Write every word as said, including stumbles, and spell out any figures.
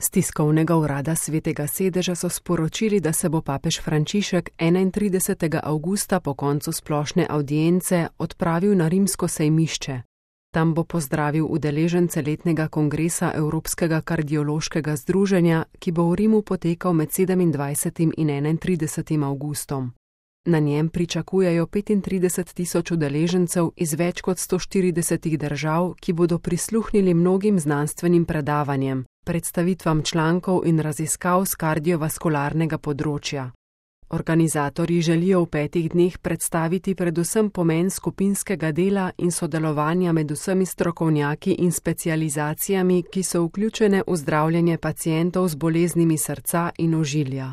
Z tiskovnega urada Svetega sedeža so sporočili, da se bo papež Frančišek enaintridesetega avgusta po koncu splošne avdience odpravil na rimsko sejmišče. Tam bo pozdravil udeležence letnega kongresa Evropskega kardiološkega združenja, ki bo v Rimu potekal med sedemindvajsetim in enaintridesetim avgustom. Na njem pričakujejo petintrideset tisoč udeležencev iz več kot sto štiridesetih držav, ki bodo prisluhnili mnogim znanstvenim predavanjem, predstavitvam člankov in raziskav s kardiovaskularnega področja. Organizatorji želijo v petih dneh predstaviti predvsem pomen skupinskega dela in sodelovanja med vsemi strokovnjaki in specializacijami, ki so vključene v zdravljenje pacientov z boleznimi srca in ožilja.